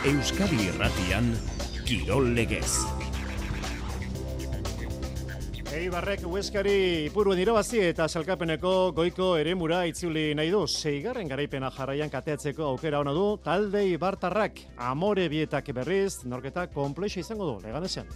Euskadi Irratian, Kirol Legez. Eibarrek Hueskari Ipuruen irabazi eta sailkapeneko goiko eremura itzuli nahi du. 6. garaipena jarraian kateatzeko aukera ona du talde ibartarrak. Amore bietak berriz, norketa konplexua izango du, Leganesean.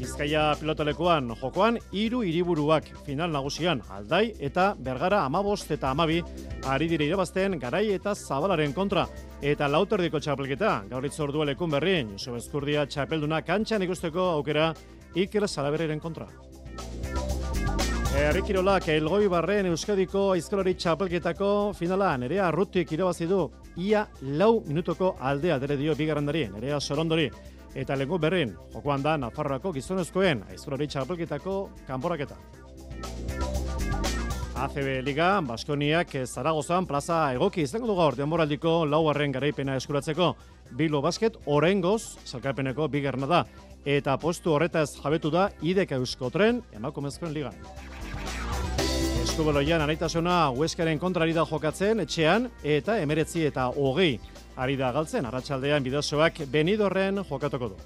Bizkaia pilotalekuan jokoan 3 hiriburuak final nagusian Aldai eta Bergara 15 eta 12 ari dire irabazten Garai eta Zabalaren kontra. Eta lauterdiko txapelketa, gaur itzordua lekun berrin, Joseba Ezkurdia txapelduna kantxan ikusteko aukera Iker Salaberriren kontra. Herri kirolak Elgoibarren Euskadiko aizkolari txapelketako finala Nerea Arrutik irabazi du ia 4 minutuko aldea dere dio bigarrendari Nerea Sorondori. Eta lengu berrin, jokoan da Nafarroako gizonezkoen aizkolari txapelketako kanporaketa. ACB Liga, Baskoniak Zaragozan plaza egoki izango du gaur denboraldiko 4. garaipena eskuratzeko. Bilbo Basket oraingoz sailkapeneko bigarrena da eta postu horretaz jabetu da IDK Euskotren emakumezkoen ligan. Eskubeloian anaitasuna Hueskaren kontra ari da jokatzen etxean eta 19 eta 20 ari da galtzen arratsaldean Bidasoak Benidorren jokatuko du.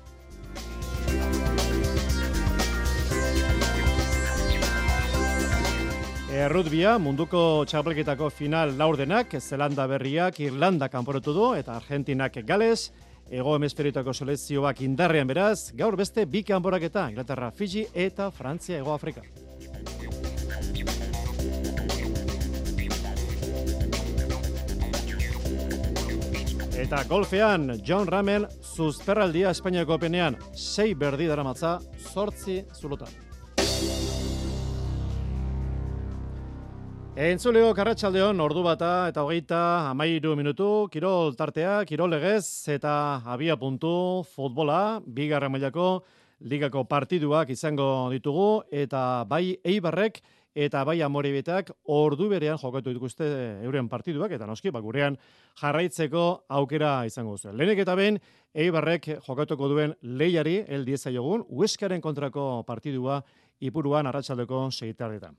Errutbia munduko txapelketako final laurdenak, Zelanda berriak Irlanda kanporatu du eta Argentinak Gales, Hego Hemisferiotako selekzioak indarrean beraz, gaur beste 2 kanporaketa, Inglaterra Fiji eta Frantzia Hego Afrika. Eta golfean, John Ramel zuzperraldia Espainiako Openean 6 berdi daramatza 8 zulotan. Entzuleo Karratxaldeon, ordu bata eta 13 minutu, kirol tartea, kirol legez eta abia puntu futbola, bigarren mailako ligako partiduak izango ditugu eta bai Eibarrek eta bai Amorebitak ordu berean jokatu dituzte euren partiduak eta noski gurean jarraitzeko aukera izango duzu. Lehenik eta behin Eibarrek jokatuko duen lehiari diezaigun Hueskaren kontrako partidua Ipuruan arratsaldeko 6:00.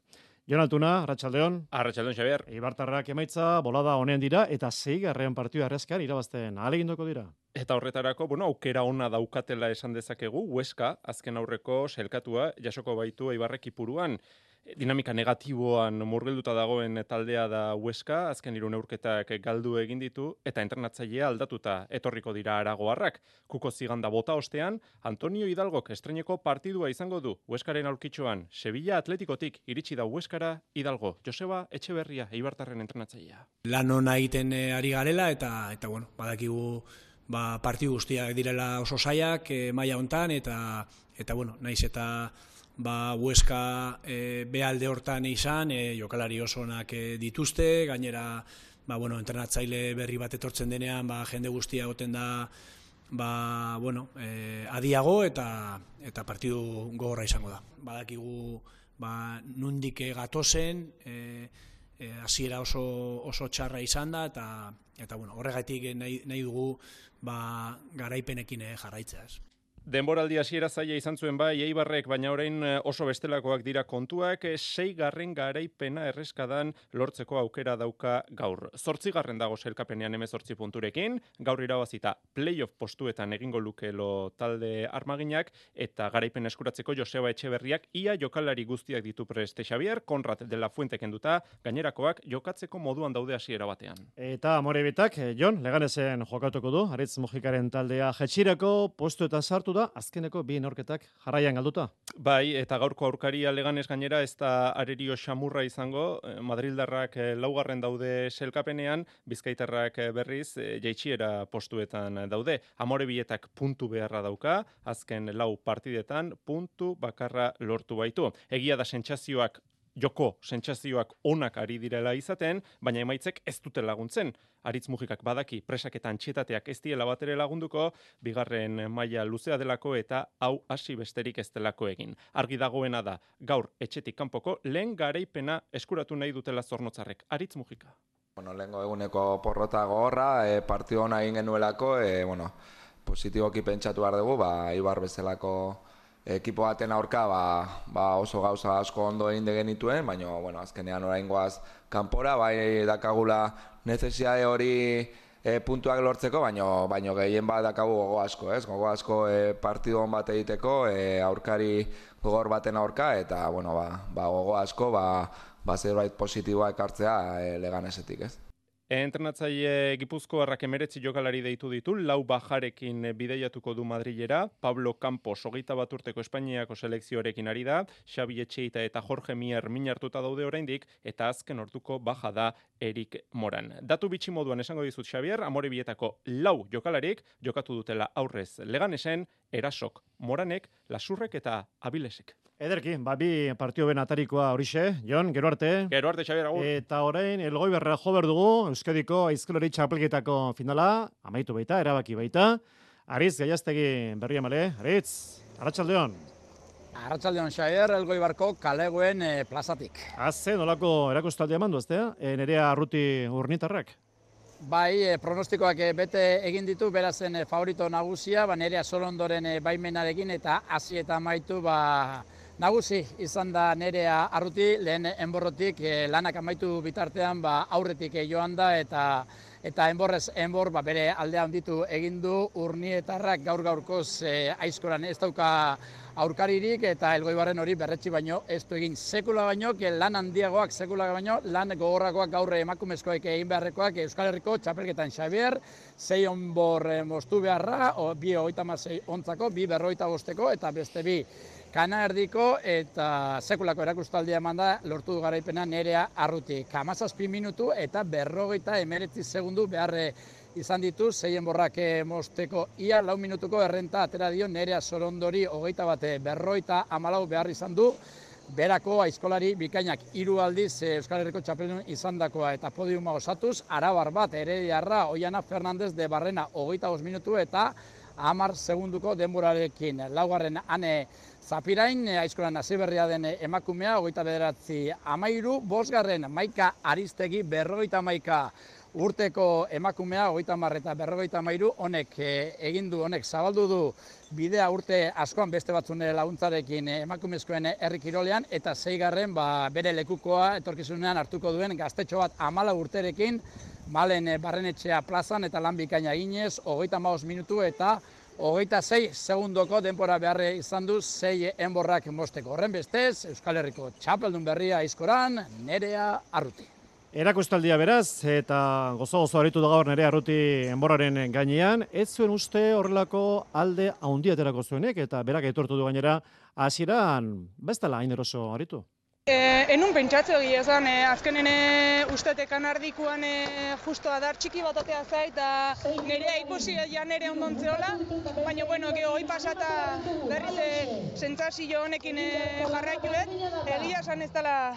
Jon Altuna, arratsaldeon. Arratsaldeon, Xabier. Eibartarrak emaitza bolada honen dira eta 6. partida arrezkan irabazten ahaleginduko dira. Eta horretarako, aukera ona daukatela esan dezakegu, Hueska azken aurreko sailkatua jasoko baitu Eibarrek Ipuruan. Dinamika negatiboan murgilduta dagoen taldea da Hueska, azken 3 neurketak galdu egin ditu eta entrenatzailea aldatuta etorriko dira aragoarrak. Kuko ziganda bota ostean, Antonio Hidalgok estreineko partidua izango du Hueskaren aurkitxoan. Sevilla Atletikotik iritsi da Hueskara Hidalgo. Joseba Etxeberria, Eibartarren entrenatzailea. Lan ona egiten ari garela eta badakigu partidu guztiak direla oso zailak maila hontan eta naiz eta Hueska behalde hortan izan, jokalari oso onak dituzte, gainera entrenatzaile berri bat etortzen denean jende guztia egoten da adiago eta partidu gogorra izango da. Badakigu nundik gatozen, hasiera oso txarra izan da eta horregatik nahi dugu garaipenekin jarraitzea. Denboraldi hasiera zaila izan zuen bai Eibarrek, baina orain oso bestelakoak dira kontuak, 6. garaipena erreskadan lortzeko aukera dauka gaur. 8. dago sailkapenean 18 punturekin, gaur irabazita playoff postuetan egingo lukelo talde armaginak eta garaipen eskuratzeko Joseba Etxeberriak ia jokalari guztiak ditu preste Xabier, Konrad de la Fuente kenduta, gainerakoak jokatzeko moduan daude hasiera batean. Eta Amorebitak, Jon, Leganesen jokatuko du, Aritz Mujikaren taldea jetxirako postuetan sartu da, azkeneko 2 neurketak jarraian galduta. Bai, eta gaurko aurkaria Leganes gainera ez da arerio xamurra izango, Madrildarrak 4. daude sailkapenean, Bizkaitarrak berriz jaitsiera postuetan daude. Amorebietak puntu beharra dauka, azken 4 partidetan puntu bakarra lortu baitu. Egia da sentsazioak onak ari direla izaten, baina emaitzek ez dute laguntzen. Aritz Mujikak badaki presaketan txietateak ez diela batere lagunduko, bigarren maila luzea delako eta hau hasi besterik ez delako egin. Argi dagoena da, gaur etxetik kanpoko lehen garaipena eskuratu nahi dutela Zornotzarrek. Aritz Mujika. Lehengo eguneko porrota gogorra, partidu hona egin genuelako, positiboki pentsatu behar dugu, Eibar bezalako ekipo baten aurka oso gauza asko ondo egin genituen, baina azkenean oraingoaz kanpora, bai dakagula necesidade hori puntuak lortzeko, baino gehien bat dakagu gogo asko, ez? Gogo asko partidu on bat egiteko, aurkari gogor baten aurka, eta, bueno, gogo asko, zerbait positiboa ekartzea Leganesetik, ez? Entrenatzaile Gipuzkoarrak 19 jokalari deitu ditu, 4 bajarekin bideiatuko du Madrilera, Pablo Campos 21 urteko Espainiako selekzioarekin ari da, Xabi Etxeita eta Jorge Mier min hartuta daude oraindik, eta azken orduko baja da Erik Moran. Datu bitxi moduan esango dizut Xabier, Amorebietako 4 jokalarik jokatu dutela aurrez Leganesen, Erasok, Moranek, Lasurrek eta Abilesek. Ederki, bi partio ben atarikoa horixe, Jon, gero arte. Gero arte, Xabier, agur. Eta orain, Elgoibarra jo behar dugu, Euskadiko aizkolari txapelketako finala, amaitu baita, erabaki baita. Aritz, Gaiaztegi berria male, Aritz, arratsaldeon. Arratsaldeon, Xabier, Elgoibarko kalegoen plazatik. Haze, nolako erakustaldia mandu, eztea? Nerea Arruti Urnitarrak? Bai, pronostikoak bete egin ditu, berazen favorito nagusia, Nerea Solondoren baimenarekin eta hasi eta amaitu nagusi izan da Nerea Arruti, lehen enborrotik lanak amaitu bitartean aurretik joan da eta enborrez enbor bere aldea handitu egin du Urnietarrak gaur-gaurkoz aizkoran ez dauka aurkaririk eta Elgoibarren hori berretsi baino ez du egin sekula baino, lan handiagoak sekula baino, lan gogorrakoak gaur emakumezkoek egin beharrekoak Euskal Herriko txapelketan Xabier, 6 onbor moztu beharra, 2 36 ontzako, 2 45 eta beste 2 kana erdiko eta sekulako erakustaldia eman da lortu du garaipena Nerea Arruti. 17 minutu eta 59 segundu beharre izan ditu, 6 enborrak mozteko ia 4 minutuko errenta atera dio Nerea Solondori 21-54 behar izan du. Berako aizkolari bikainak 3 aldiz Euskal Herriko txapeldun izandakoa eta podiuma osatuz, arabar bat Herediarra Oiana Fernandez de Barrena 25 minutu eta 10 segunduko denborarekin. Laugarren Ane Zapirain, aizkolan hasi berria den emakumea, 29-13, bosgarren Maika Aristegi 51 urteko emakumea, 30 eta 53, honek zabaldu du bidea urte askoan beste batzun laguntzarekin emakumezkoen herri kirolean, eta 6garren bere lekukoa etorkizunean hartuko duen gaztetxo bat 14 urterekin, Malen Barrenetxea plazan eta lan bikaina eginez, 35 minutu eta 26 segundoko denbora beharre izan du 6 enborrak mozteko. Horren bestez, Euskal Herriko txapeldun berria aizkoran, Nerea Arruti. Erakustaldia beraz, eta gozo aritu da gaur Nerea Arruti enborraren gainean, ez zuen uste horrelako alde haundia aterako zuenek, eta berak etortu du gainera hasieran bestela hain eroso aritu. Enun pentsatze egia esan, azkenen uste kanardikuan justo adar txiki bat atea zait, eta nerea ikusi ja nere ondontzeola, baina bueno, hoi pasata berriz sentsazio honekin jarraituet, egia esan ez dela,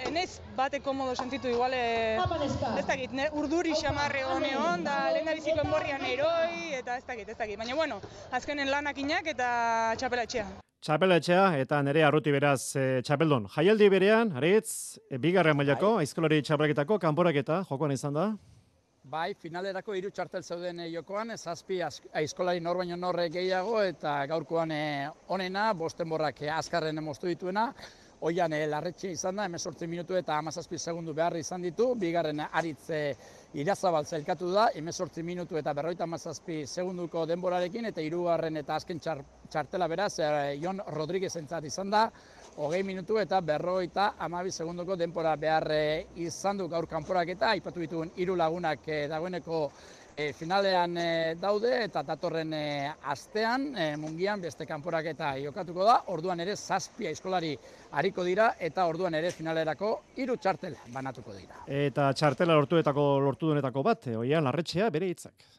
enez bate komodo sentitu igual, ez dakit, urduri xamarre honeon, da lehen da biziko enborrian eroi, eta ez dakit, baina bueno, azkenen lanakinak eta txapelatxea. Txapelatxea eta Nerea Arruti beraz txapeldon. Jaialdi berean, Aritz, 2. mailako, aizkolari txapelketako kanporaketa jokoan izan da? Bai, finalerako 3 txartel zeuden jokoan, 7 aizkolari nor baino norre gehiago eta gaurkoan onena, 5 enborrak azkarren moztu dituena. Oian Larretxe izan da, 18 minutu eta 17 segundu behar izan ditu, 2. Aritz Irazabal zelkatu da, 18 minutu eta 57 segunduko denborarekin, eta 3. eta azken txartela beraz, Jon Rodríguez entzat izan da, 20 minutu eta 52 segunduko denbora behar izan du gaur kanporaketa, aipatu dituen 3 lagunak dagoeneko finalean daude eta datorren astean mungian beste kanporaketa jokatuko da, orduan ere 7 aizkolari ariko dira eta orduan ere finalerako 3 txartel banatuko dira. Eta txartela lortu duenetako bat, Oian Larretxea bere hitzak.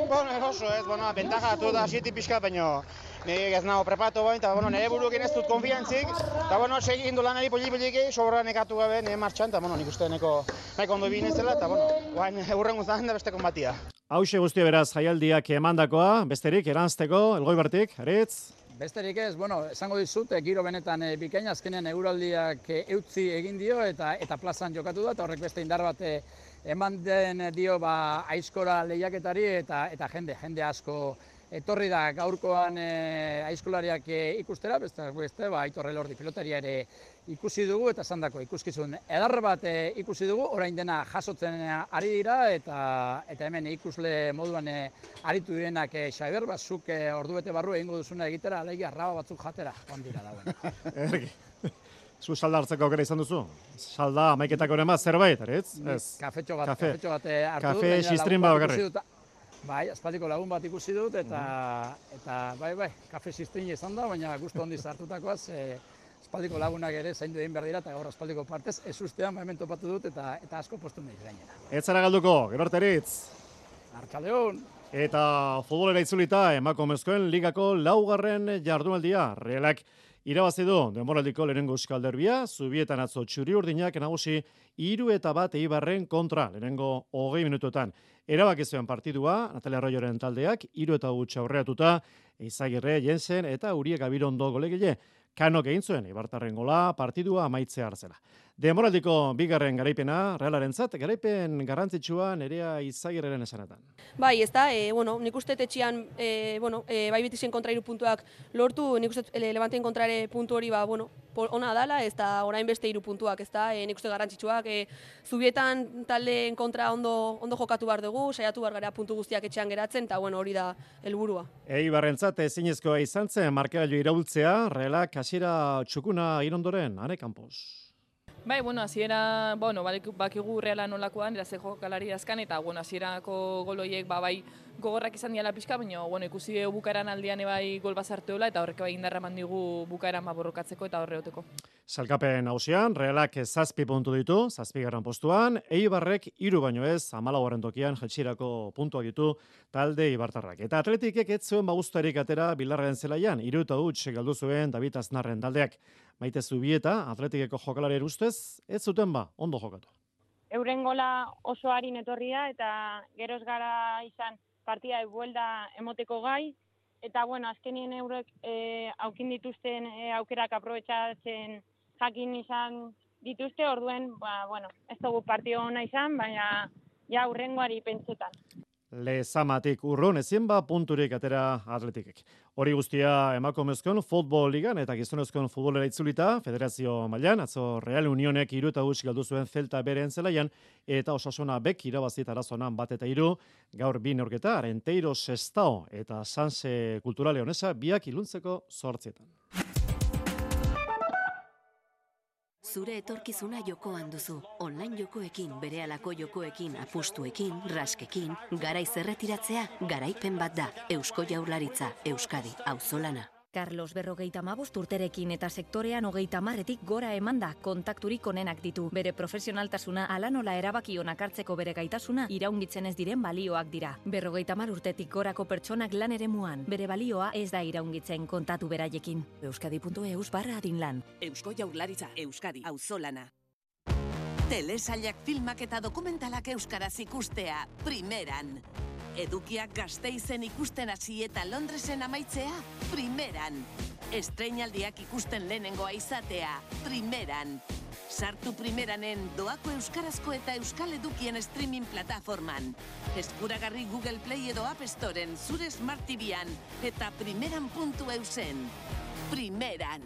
Bueno, oso ez, bentaja datu da sieti pixka, baina nire ez nago preparatu bain, eta nire burukin ez dut konfiantzik, eta segin du lanari poli-poliki, sobra nekatu gabe nire martxan, eta nik uste nahiko ondo binezela, eta guain eurren guztan da beste konbatia. Hauxe guztia beraz jaialdiak emandakoa, besterik eranzteko, Elgoibartik, Aritz? Besterik ez, esango dizut, giro benetan bikaina, azkenean euraldiak eutzi egin dio eta plazan jokatu da, eta horrek beste indar bat eman den dio aizkora lehiaketari eta jende asko etorri da gaurkoan aizkolariak ikustera, beste Aitor Elordi pilotaria ere ikusi dugu eta esandako ikuskizun edar bat ikusi dugu, orain dena jasotzen ari dira eta hemen ikusle moduan aritu direnak Xabier, zuk ordubete barru egingo duzuna egitera, alegia raba batzuk jatera, joan dira dagoen. Zu salda hartzeko aukera izan duzu? Salda amaiketako ere zerbait, ez? Kafetxo bat hartu dut. Kafe xistrin bat bakarrik. Bai, aspaldiko lagun bat ikusi dut eta bai, kafe xistrin izan da, baina gustu handiz hartutakoaz, aspaldiko lagunak ere zaindu egin behar dira eta gaur aspaldiko partez ez ustean hemen topatu dut eta asko postu nahi gainera. Ez zara galduko, gero arteritz. Arratsaldeon. Eta futbolera itzulita emakumezkoen ligako 4. jardunaldia. Realak irabazi du denboraldiko lehenengo euskal derbia, Zubietan atzo Txuri-Urdinak nagusi 3-1 Eibarren kontra lehenengo 20 minutuetan. Erabaki zuen partidua, Natalia Arroyoren taldeak 3-1 aurreatuta, Eizagirre, Jensen eta Uriek Abirondo golegile. Kanok egin zuen Eibartarren gola partidua amaitzea hartzela. Denboraldiko 2. garaipena Realarentzat, garaipen garrantzitsua Nerea Eizagirreren esanetan. Bai, ez da, nik uste etxean, bai Betisen kontra 3 puntuak lortu, nik uste Levanteen kontra ere puntu hori, ona dala, ez da orain beste 3 puntuak, ez da, nik uste garrantzitsuak, Zubietan taldeen kontra ondo jokatu behar dugu, saiatu behar gara puntu guztiak etxean geratzen, eta hori da helburua. Eibarrentzat ezinezkoa izan zen markagailu iraultzea, Realak hasiera txukuna irondoren, Ane Campos. Bai, hasiera, bakigu Reala nolakoan, eraze jokalari azkan, eta, hasierako goloiek, bai, gogorrak izan diala pixka, baina, ikusi dugu bukaeran aldean bai gol bazarteola, eta horrek bai indarra eman digu bukaeran borrokatzeko eta horreoteko. Salkapen nagusian, Realak 7 puntu ditu, 7. postuan, Eibarrek 3 baino ez, 14. tokian jetxirako puntuak ditu talde eibartarrak. Eta Atletikek ez zuen gustarik atera Bilarraren zelaian, 3-0 galdu zuen David Aznarren taldeak. Maite Zubieta, Atletikeko jokalari ustez, ez zuten ondo jokatu. Euren gola oso harin etorria eta geroz gara izan partida buelda emoteko gai, eta azkenien eurek aukin dituzten aukerak aprobetxatzen jakin izan dituzte, orduen, ez dugu partio ona izan, baina ja urrengoari pentsetan. Lezamatik urrun ezin punturik atera Atletikek. Hori guztia emakumezkoen futbol ligan eta gizonezkoen futbolera itzulita, federazio mailan, atzo Real Unionek 3-0 galdu zuen Celta beren zelaian, eta Osasuna bek irabazi Tarazonan 1-3, gaur 2 neurketa, Arenteiro Sestao eta Sanse Kulturale Honesa biak iluntzeko 8. Zure etorkizuna jokoan duzu. Online jokoekin, berehalako jokoekin, apustuekin, raskekin, garaiz erretiratzea, garaipen bat da. Eusko Jaurlaritza, Euskadi, auzolana. Carlos 55 urterekin eta sektorean 30etik gora emanda kontakturik onenak ditu. Bere profesionaltasuna hala nola erabaki onak hartzeko bere gaitasuna iraungitzen ez diren balioak dira. 50 urtetik gorako pertsonak lan eremuan. Bere balioa ez da iraungitzen, kontatu beraiekin. Euskadi.eus/adinlan. Eusko Jaurlaritza, Euskadi, auzolana. Telesailak filmak eta dokumentalak euskaraz ikustea, primeran. Edukiak Gasteizen ikusten hasi eta Londresen amaitzea, primeran. Estreinaldiak ikusten lehenengoa izatea, primeran. Sartu primeranen doako euskarazko eta euskal edukien streaming plataforman. Eskuragarri Google Play edo App Storen, zure Smart TV-an eta primeran.eusen. Primeran.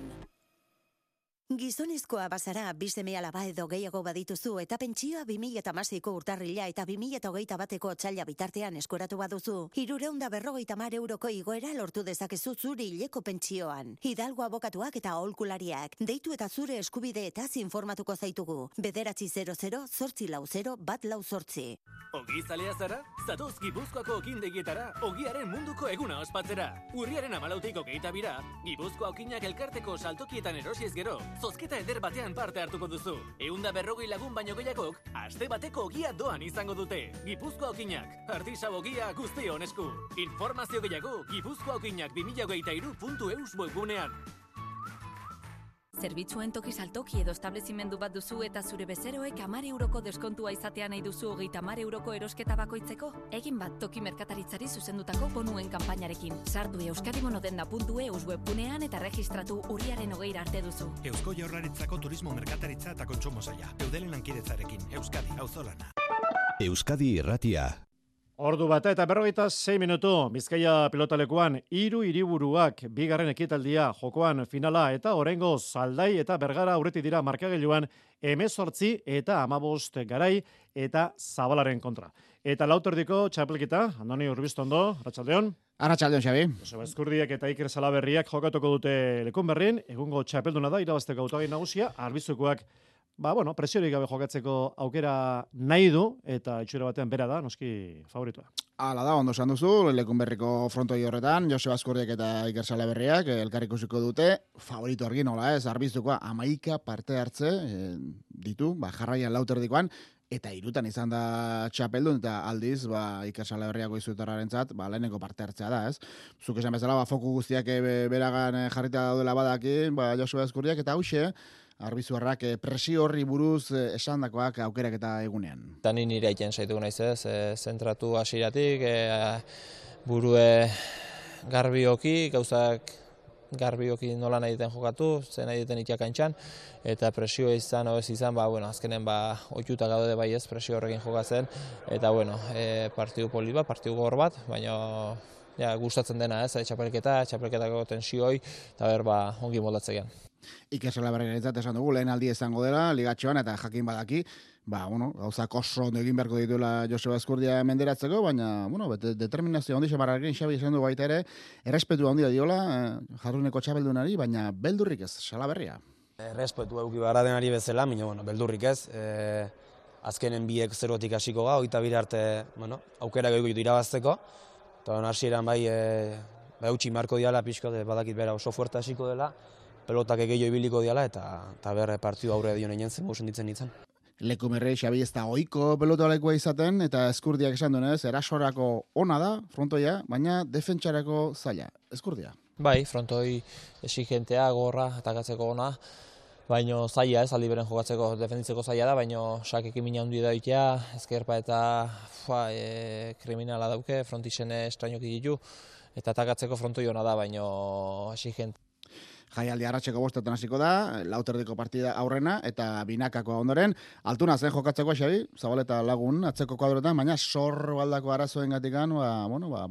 Gizonezkoa bazara, 2 seme-alaba edo gehiago badituzu eta pentsioa 2016ko urtarrila eta 2021ko otsaila bitartean eskuratu baduzu, 350 euroko igoera lortu dezakezu zure hileko pentsioan. Hidalgo abokatuak eta aholkulariak, deitu eta zure eskubideetaz informatuko zaitugu. 940-840-148. Ogi zalea zara? Zatoz Gipuzkoako okindegietara, ogiaren munduko eguna ospatzera. Urriaren 14tik 22, Gipuzkoa okinak elkarteko saltokietan erosiez gero, zozketa eder batean parte hartuko duzu. 140 lagun baino gehiagok, aste bateko ogia doan izango dute. Gipuzkoa okinak, artisau ogia guztion esku. Informazio gehiago, gipuzkoaokinak2023.eus webgunean. Zerbitzuen toki saltoki edo establezimendu bat duzu eta zure bezeroek 10 euroko deskontua izatea nahi duzu 30 euroko erosketa bakoitzeko? Egin bat toki merkataritzari zuzendutako bonuen kanpainarekin. Sartu euskadibonodenda.eus webgunean eta registratu urriaren 20 arte duzu. Eusko Jaurlaritzako turismo merkataritza eta kontsumo saila. Eudelen lankidetzarekin, Euskadi, auzolana. Euskadi irratia. Ordu bata eta 46 minutu, Bizkaia pilotalekuan 3 hiriburuak bigarren ekitaldia jokoan finala eta oraingoz Aldai eta Bergara aurretik dira markagailuan 18 eta 15 Garai eta Zabalaren kontra. Eta lauterdiko txapelketa, Andoni Urbistondo, arratsaldeon. Arratsaldeon, Xabi. Joseba Eskurdiak eta Iker Salaberriak jokatuko dute Lekunberrin, egungo txapelduna da, irabazteko hautagai nagusia, Arbizukoak presiorik gabe jokatzeko aukera nahi du, eta itxura batean bera da, noski favoritua. Hala da, ondo esan duzu, Lekunberriko frontoi horretan, Joseba Eskurdiak eta Iker Salaberriak elkar ikusiko dute, favorito argi nola ez, Arbizukoa 11 parte hartze ditu, jarraian lauterdikoan, eta hirutan izan da txapeldun, eta aldiz, Iker Salaberriako izuetarrarentzat, lehenengo parte hartzea da, ez? Zuk esan bezala, foku guztiak beragan jarrita daudela badaki, Joseba Eskurdiak eta hauxe, Arbizuarrak presio horri buruz esandakoak aukerak eta egunean. Eta nire egiten zaituko naiz ez, zentratu hasieratik, burue garbioki, gauzak garbioki nola nahi duten jokatu, zen nahi duten itiakantxan, eta presioa izan, izan, azkenen ohituta gaude bai ez, presio horrekin jokatzen, eta partidu polit bat, partidu gogor bat, baina gustatzen dena ez, txapelketako tensioi, eta ongi moldatzean. Iker Salaberriarentzat esan dugu, lehen aldi izango dela, ligatxoan, eta jakin badaki, gauzak oso ondo egin beharko dituela Joseba Eskurdia menderatzeko, baina, determinazio handi xamarrarekin Xabi izan du baita ere, errespetu handia diola, jarruneko txapeldunari, baina beldurrik ez, Salaberria. Errespetu euki baradenari bezala, baina, beldurrik ez, azkenen biek zerotik hasiko ga, oita bire arte, aukera goiko ditu irabazteko, eta hasieran utzi marko diala, pixko, badakit bera oso fuerte hasiko dela, pelotak egeio ibiliko diala, eta berre partidu aurre dion egin zen, ditzen nintzen. Lekunberri, Xabi, ez da ohiko pelotalekua izaten, eta Eskurdiak esan duenez, erasorako ona da, frontoia, baina defentsarako zaila. Eskurdia? Bai, frontoi exigentea, gorra, atakatzeko ona, baina zaila ez, aldi beren jokatzeko, defenditzeko zaila da, baina sakekin mina handi da itea, ezkerpa eta kriminala dauke, frontixene estrainoki ditu, eta atakatzeko frontoi ona da, baina exigente. Jaialdi arratseko 5 hasiko da, lauterdiko partida aurrena, eta binakako ondoren, altuna zen jokatzeko Xabi, Zabaleta lagun atzeko kuadroetan, baina sorbaldako arazoen gatikan,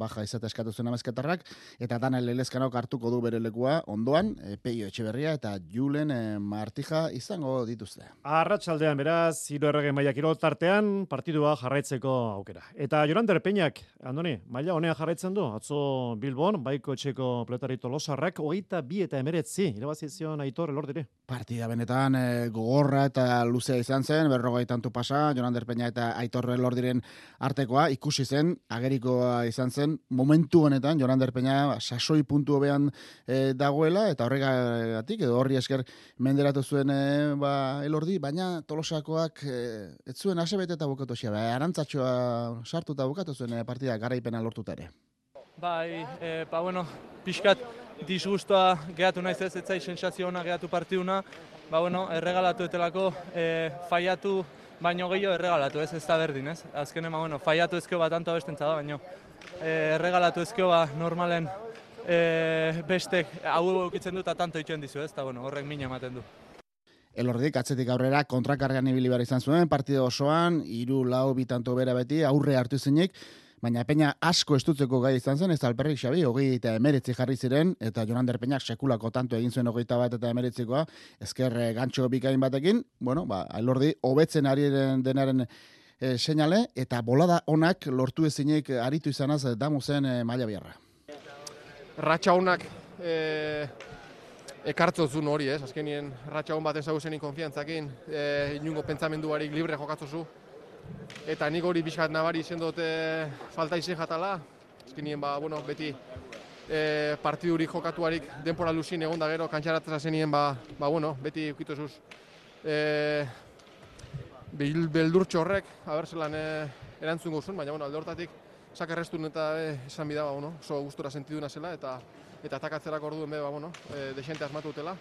baja izate eskatu zuen amezketarrak, eta Daniel Elezkanok hartuko du bere lekua ondoan, Peio Etxeberria eta Julen Martija izango dituzte. Arratsaldean beraz, 3 errege maila kirol tartean, partidua jarraitzeko aukera. Eta Jorander Peñak, Andoni, maila honea jarraitzen du, atzo Bilbon, baiko etxeko peletari Tolosarrak, 22 eta 19 irabazizion Aitor Elordiri. Partida benetan gogorra eta luzea izan zen, 40 tantu pasa, Jorander Peña eta Aitor Elordiren artekoa, ikusi zen, agerikoa izan zen, momentu honetan Jorander Peña sasoi puntu hobean dagoela, eta horregatik, edo horri esker menderatu zuen Elordi, baina Tolosakoak ez zuen asebete eta bukatu xea, arantzatxoa sartu eta bukatu zuen partida garaipena lortuta ere. Bai, pixkat disgustoa gehatu naiz ez zai sensazio ona gehatu partiduna, erregalatu etelako, faiatu baino gehiago erregalatu, ez da berdin, ez? Azkenen, faiatu ezkeo bat tanto abestentza da, baino erregalatu ezkeo normalen bestek hau eukitzen du eta tanto itxuen dizu, ez? Eta horrek mina ematen du. Elordik atzetik aurrera kontrakarrean ibili behar izan zuen, partida osoan, 3-4 tanto bera beti, aurre hartu zinik, baina Peña asko estutzeko gai izan zen, ez alperrik Xabi, 29 jarri ziren, eta Jorander Peñak sekulako tanto egin zuen 21 eta 19koa, ezker gantxo bikain batekin, Elordi hobetzen ari denaren seinale, eta bolada onak lortu ezinik aritu izanaz damu zen maila biarra. Ratxa onak ekartzozun hori, ez? Azkenien ratxa hon bat ezaguzenin konfiantzakin, inungo pentsamenduarik libre jokatzozu. Eta nik hori pixkat nabari izen dute falta izen jatala. Azkenien, beti partidurik jokatuarik denpora luzin egon da gero, kantxaratzen zenien, beti ukitozuz. Beldurtxo horrek, abertzelan erantzun gozun, baina alde hortatik sakarreztun eta esan bida, oso gustora sentiduna zela, eta atakatzerak orduen desente asmatu dutela.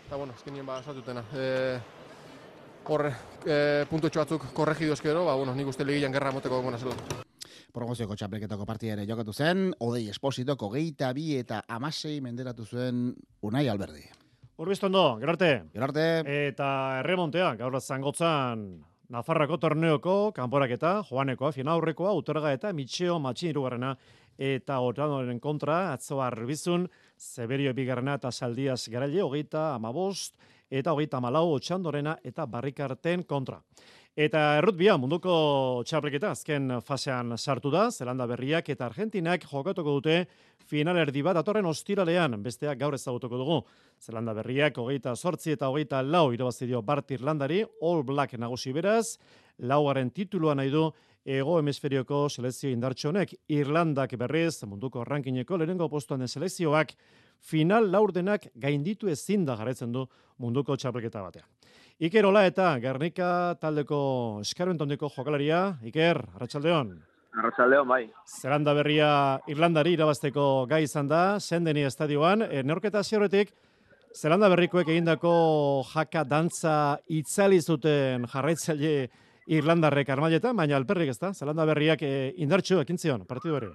Eta, azkenien esatutena. Hor, puntotxo batzuk korregidoz gero, nik uste legian gerra moteko gona zela. Promozioko txapelketako partida ere jokatu zen, Odei Espositoko 22 eta 16 menderatu zuen Unai Alberdi. Urbistondo, gero arte. Gero arte. Eta erremontea, gaur zangotzan Nafarrako torneoko kanporaketa, joanekoa, finaurrekoa, Uterga eta Mitxeo Matxin irugarrena eta Otanoren kontra, atzo Arbizun, Zeberio bigarrena eta Saldias Garaile, 35 eta 34 Otxandorena eta Barrikarten kontra. Eta errutbia munduko txapelketa azken fasean sartu da, Zelanda Berriak eta Argentinak jokatuko dute finalerdi bat datorren ostiralean, besteak gaur ezagutuko dugu. Zelanda Berriak 28 eta 24 irabazi dio Bart Irlandari, All Black nagusi beraz, laugarren titulua nahi du Hego Hemisferioko selekzio indartsu honek. Irlandak berriz munduko rankingeko lehenengo postuan den selekzioak final laurdenak gainditu ezin da jarraitzen du munduko txapelketa batean. Iker Ola eta Gernika taldeko eskarmentondeko jokalaria. Iker, arratsaldeon. Arratsaldeon, bai. Zelanda Berria Irlandari irabazteko gai izan da, Sendeni estadioan. Neurketa hasieratik Zelanda Berrikoek egindako jaka dantza itzali zuten jarraitzaile Irlandarrek armailetan, baina alperrik ez da. Zelanda Berriak indartsu ekin zion partidu hori.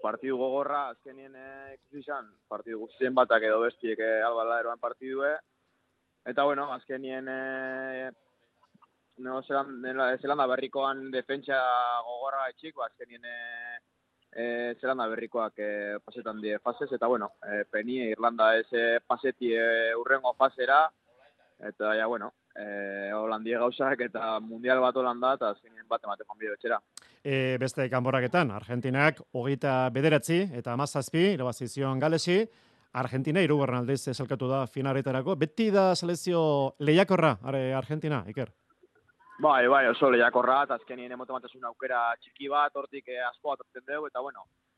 Partidu gogorra, azkenien ikusi izan, partidu guztien batak edo bestiek albala eroan partidue. Eta, azkenien Zelanda Berrikoan defentsa gogorra etxik, azkenien Zelanda Berrikoak pasetan die fasez, eta, peni Irlanda ez paseti urrengo fasera, eta, Holandie gauzak eta mundial bat Holanda, eta azkenien bat ematen bide betxera. Beste kanporaketan, Argentinak 29 eta 17 irabazi zion Galesi. Argentina hirugarren aldiz zelkatu da finaretarako. Beti da selekzio lehiakorra Argentina, Iker? Bai, oso lehiakorra, eta azkenien emotematasun aukera txiki bat, hortik asko atortzen dugu, eta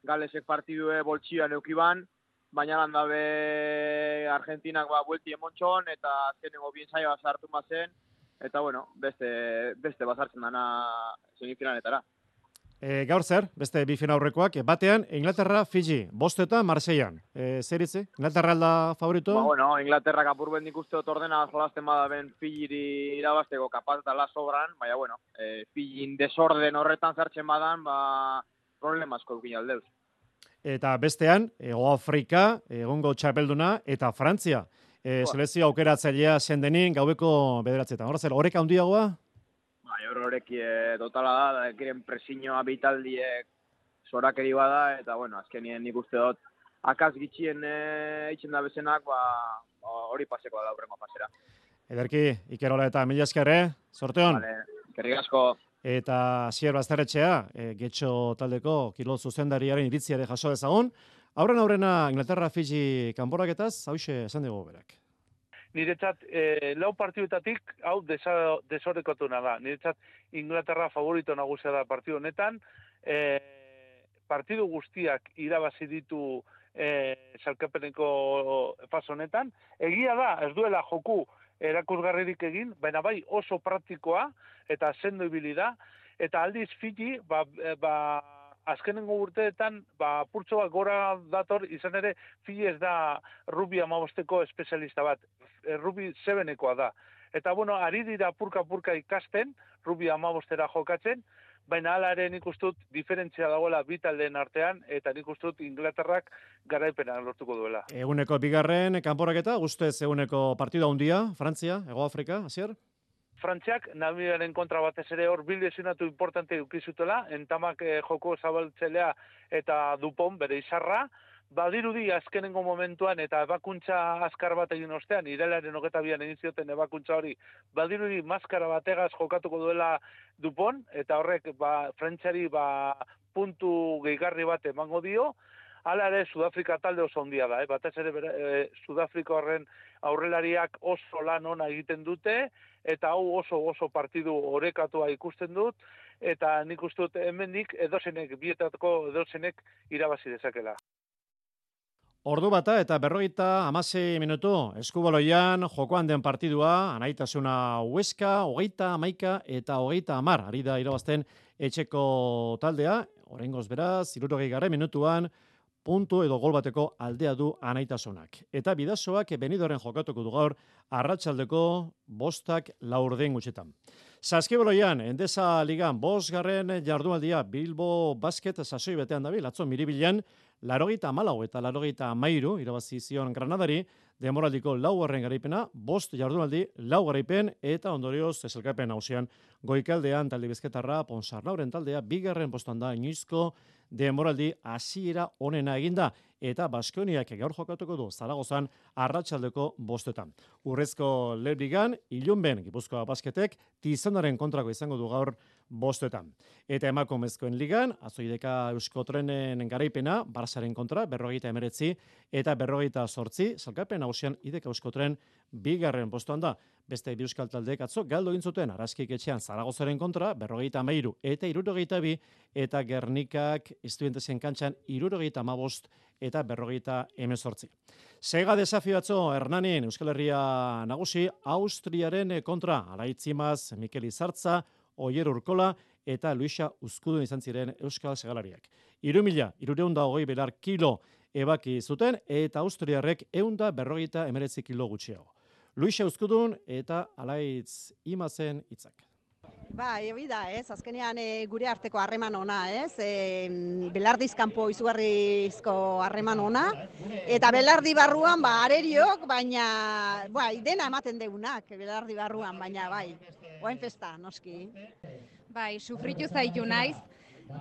Galesek partidue boltsioan eukiban, baina landabe Argentinak buelti emontxon, eta azkenengo bien saioa sartu mazen, eta beste bazartzen dana semifinaletara. Gaur zer, beste bi finaurrekoak, batean Inglaterra, Fiji, 5 eta Marseillan. Zer itzi? Inglaterra alda favorito? Inglaterrak apurben nik uste dut ordena jolazten badaben Fijiri irabazteko kapaz dala sobran, baina Fijin desorden horretan zartzen badan, problemazko dukin aldeuz. Eta bestean, Hego Afrika, egongo txapelduna, eta Frantzia. Selekzio aukeratzailea Sendenin gaubeko 9. Horrek handiagoa? Horrek totala da kiren presiñoa bitaldiek zorakeri bada, eta azkenien nik uste dut akaz gitxien eitzen da bezenak, hori paseko da aurrengo pasera. Ederki, Iker Ola eta mila eskerre, sorteon. Eskerrik asko. Eta Asier Bazterretxea, Getxo taldeko kirol zuzendariaren iritziare jaso dezagun. Aurrena Inglaterra Fiji kanporaketaz, hauxe esan dugu berak. Niretzat, lau partiduetatik, hau desorekotuna da. Niretzat, Inglaterra favorito nagusia da partidu honetan. Partidu guztiak irabazi ditu salkapeneko fase honetan. Egia da, ez duela joku erakusgarririk egin, baina bai oso praktikoa eta sendo ibili da. Eta aldiz Fiji, azkenengo urteetan, purtso bat gora dator, izan ere, Fiji ez da rugby 15ko espezialista bat, rugby 7ekoa da. Eta, ari dira purka-purka ikasten, rugby 15era jokatzen, baina hala ere nik ustut diferentzia dagoela bi taldeen artean, eta nik ustut Inglaterrak garaipena lortuko duela. Eguneko bigarren kanporaketa, guztez eguneko partida handia, Frantzia, Hego Afrika, Asier? Frantziak, Namibiaren kontra batez ere hor bildezinatu importante ukizutela, entamak joko zabaltzelea eta Dupont bere izarra, badirudi azkenengo momentuan eta ebakuntza azkar bat egin ostean, irailaren 22an egin zioten ebakuntza hori, badirudi maskara bategaz jokatuko duela Dupont, eta horrek Frantziari puntu gehigarri bat emango dio. Hala ere, Sudafrika talde oso handia da, batez ere Sudafrika horren aurrelariak oso lan ona egiten dute, eta hau oso partidu orekatua ikusten dut, eta nik uste dut hemendik bietako edozenek irabazi dezakela. Ordu bata eta 56 minutu, eskubaloian jokoan den partidua, anaitasuna Huesca, 30 eta 30 ari da irabazten etxeko taldea, oraingoz beraz, 60 minutuan, puntu edo gol bateko aldea du anaitasunak. Eta bidasoak Benidoren jokatuko du gaur arratsaldeko 5:04 gutxitan. Saskibaloian, Endesa Ligan 5. jardunaldia Bilbo Basket sasoi betean dabil, atzo Miribilan 84 eta 83 irabazi zion Granadari, demoraldiko 4. garaipena, 5 jardunaldi, 4 garaipen, eta ondorioz sailkapen nagusian goikaldean talde bizkaitarra Ponsarnauren taldea 2. postuan da inoizko demoraldi hasiera onena eginda, eta Baskoniak gaur jokatuko du Zaragozan arratsaldeko 5:00. Urrezko Lebrigan, Ilunben Gipuzkoa Basketek Tizonaren kontrako izango du gaur 5:00. Eta emakumezkoen ligan, Azoideka Euskotrenen garaipena, Barsaren kontra 59 eta 58, sailkapen nagusian Ideka Euskotren 2. postuan da. Beste bi euskal taldeek atzo galdu egin zuten Araskik etxean Zaragozaren kontra 53 eta 62, eta Gernikak Estudiantesen kantxan 75 eta 58. Sega desafio atzo Hernanin Euskal Herria nagusi Austriaren kontra Araitzimaz, Mikel Izartza, Oier Urkola eta Luisa Uzkudun izan ziren euskal segalariak. 3.320 belar kilo ebaki zuten eta Austriarrek 159 kilo gutxiago. Luisa Uzkudun eta Alaitz Imazen hitzak. Hori da, azkenean gure arteko harreman ona, Belardiz kanpo izugarrizko harreman ona, eta Belardi barruan, areriok, baina, dena ematen deunak, Belardi barruan, baina, oain festa, noski. Sufritu zaitu naiz,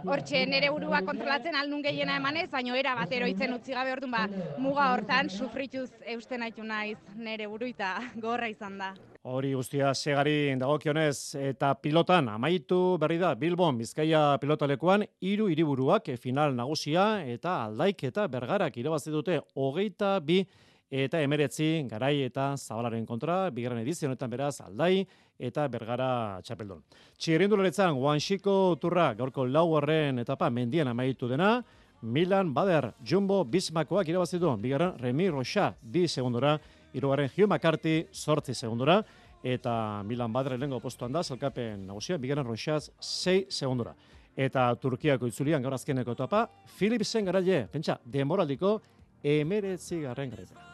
hortxe nere burua kontrolatzen aldun gehiena emanez, baina era bat eroitzen utzi gabe orduan, muga hortan sufrituz eusten haitu naiz nere buruita gorra izan da. Hori guztia segari dagokionez, eta pilotan amaitu berri da Bilbon Bizkaia pilotalekuan 3 hiriburuak final nagusia eta Aldaik eta Bergarak irabazi dute 22 eta 19 Garai eta Zabalaren kontra, 2. edizio honetan beraz Aldai eta Bergara txapeldun. Txirrindularitzan Guanxiko turra gaurko 4. etapa mendian amaitu dena, Milan Bader Jumbo Bismakoak irabazi du, 2. Remi Rocha 2 segundora, 3. Hugh McCarthy 8 segundora, eta Milan Bader lehengo postuan da, sailkapen nagusia, 2. Rochaz 6 segundora. Eta Turkiako itzulian gaur azkeneko etapa, Philipsen garaile, pentsa, demoraldiko 19. garaipena.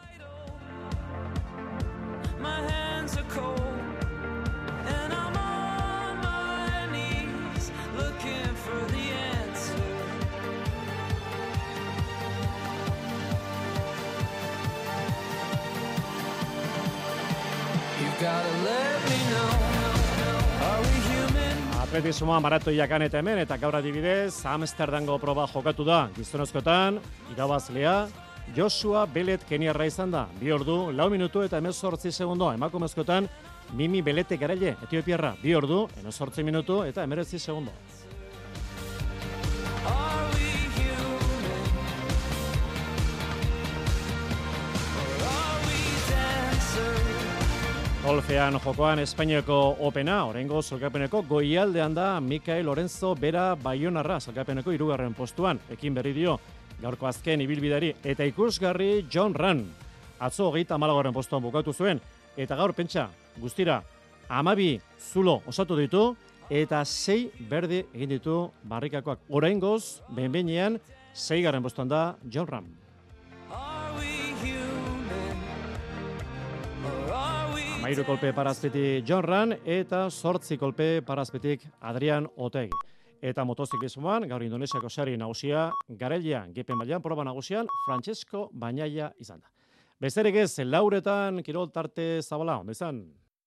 Atletismoa maratoiakan eta hemen, eta gaur adibidez, Amsterdango proba jokatu da. Gizonezkoetan, irabazlea, Joshua Belet keniarra izan da. 2 ordu, 4 minutu eta 18 segundo. Emakumezkoetan, Mimi Belete garaile, Etiopiarra. 2 ordu, 18 minutu eta 19 segundo. Golfean jokoan Espainiako Opena, oraingo sailkapeneko goialdean da Mikael Lorenzo Bera Baionarra, sailkapeneko 3. postuan, ekin berri dio gaurko azken ibilbideari, eta ikusgarri John Ran. Atzo 34. postuan bukatu zuen, eta gaur pentsa guztira 12 zulo osatu ditu, eta 6 berde egin ditu barrikakoak. Oraingoz, behin-behinean 6. postuan da John Ran. Amairu kolpe parazpetik John Ran eta 8 kolpe parazpetik Adrian Otegi. Eta motoziklismoan, gaur Indonesiako sari nagusia, garailean, GP mailan proba nagusian, Francesco Bagnaia izan da. Besterik ez, 4etan kirol tarte zabala, ondo izan.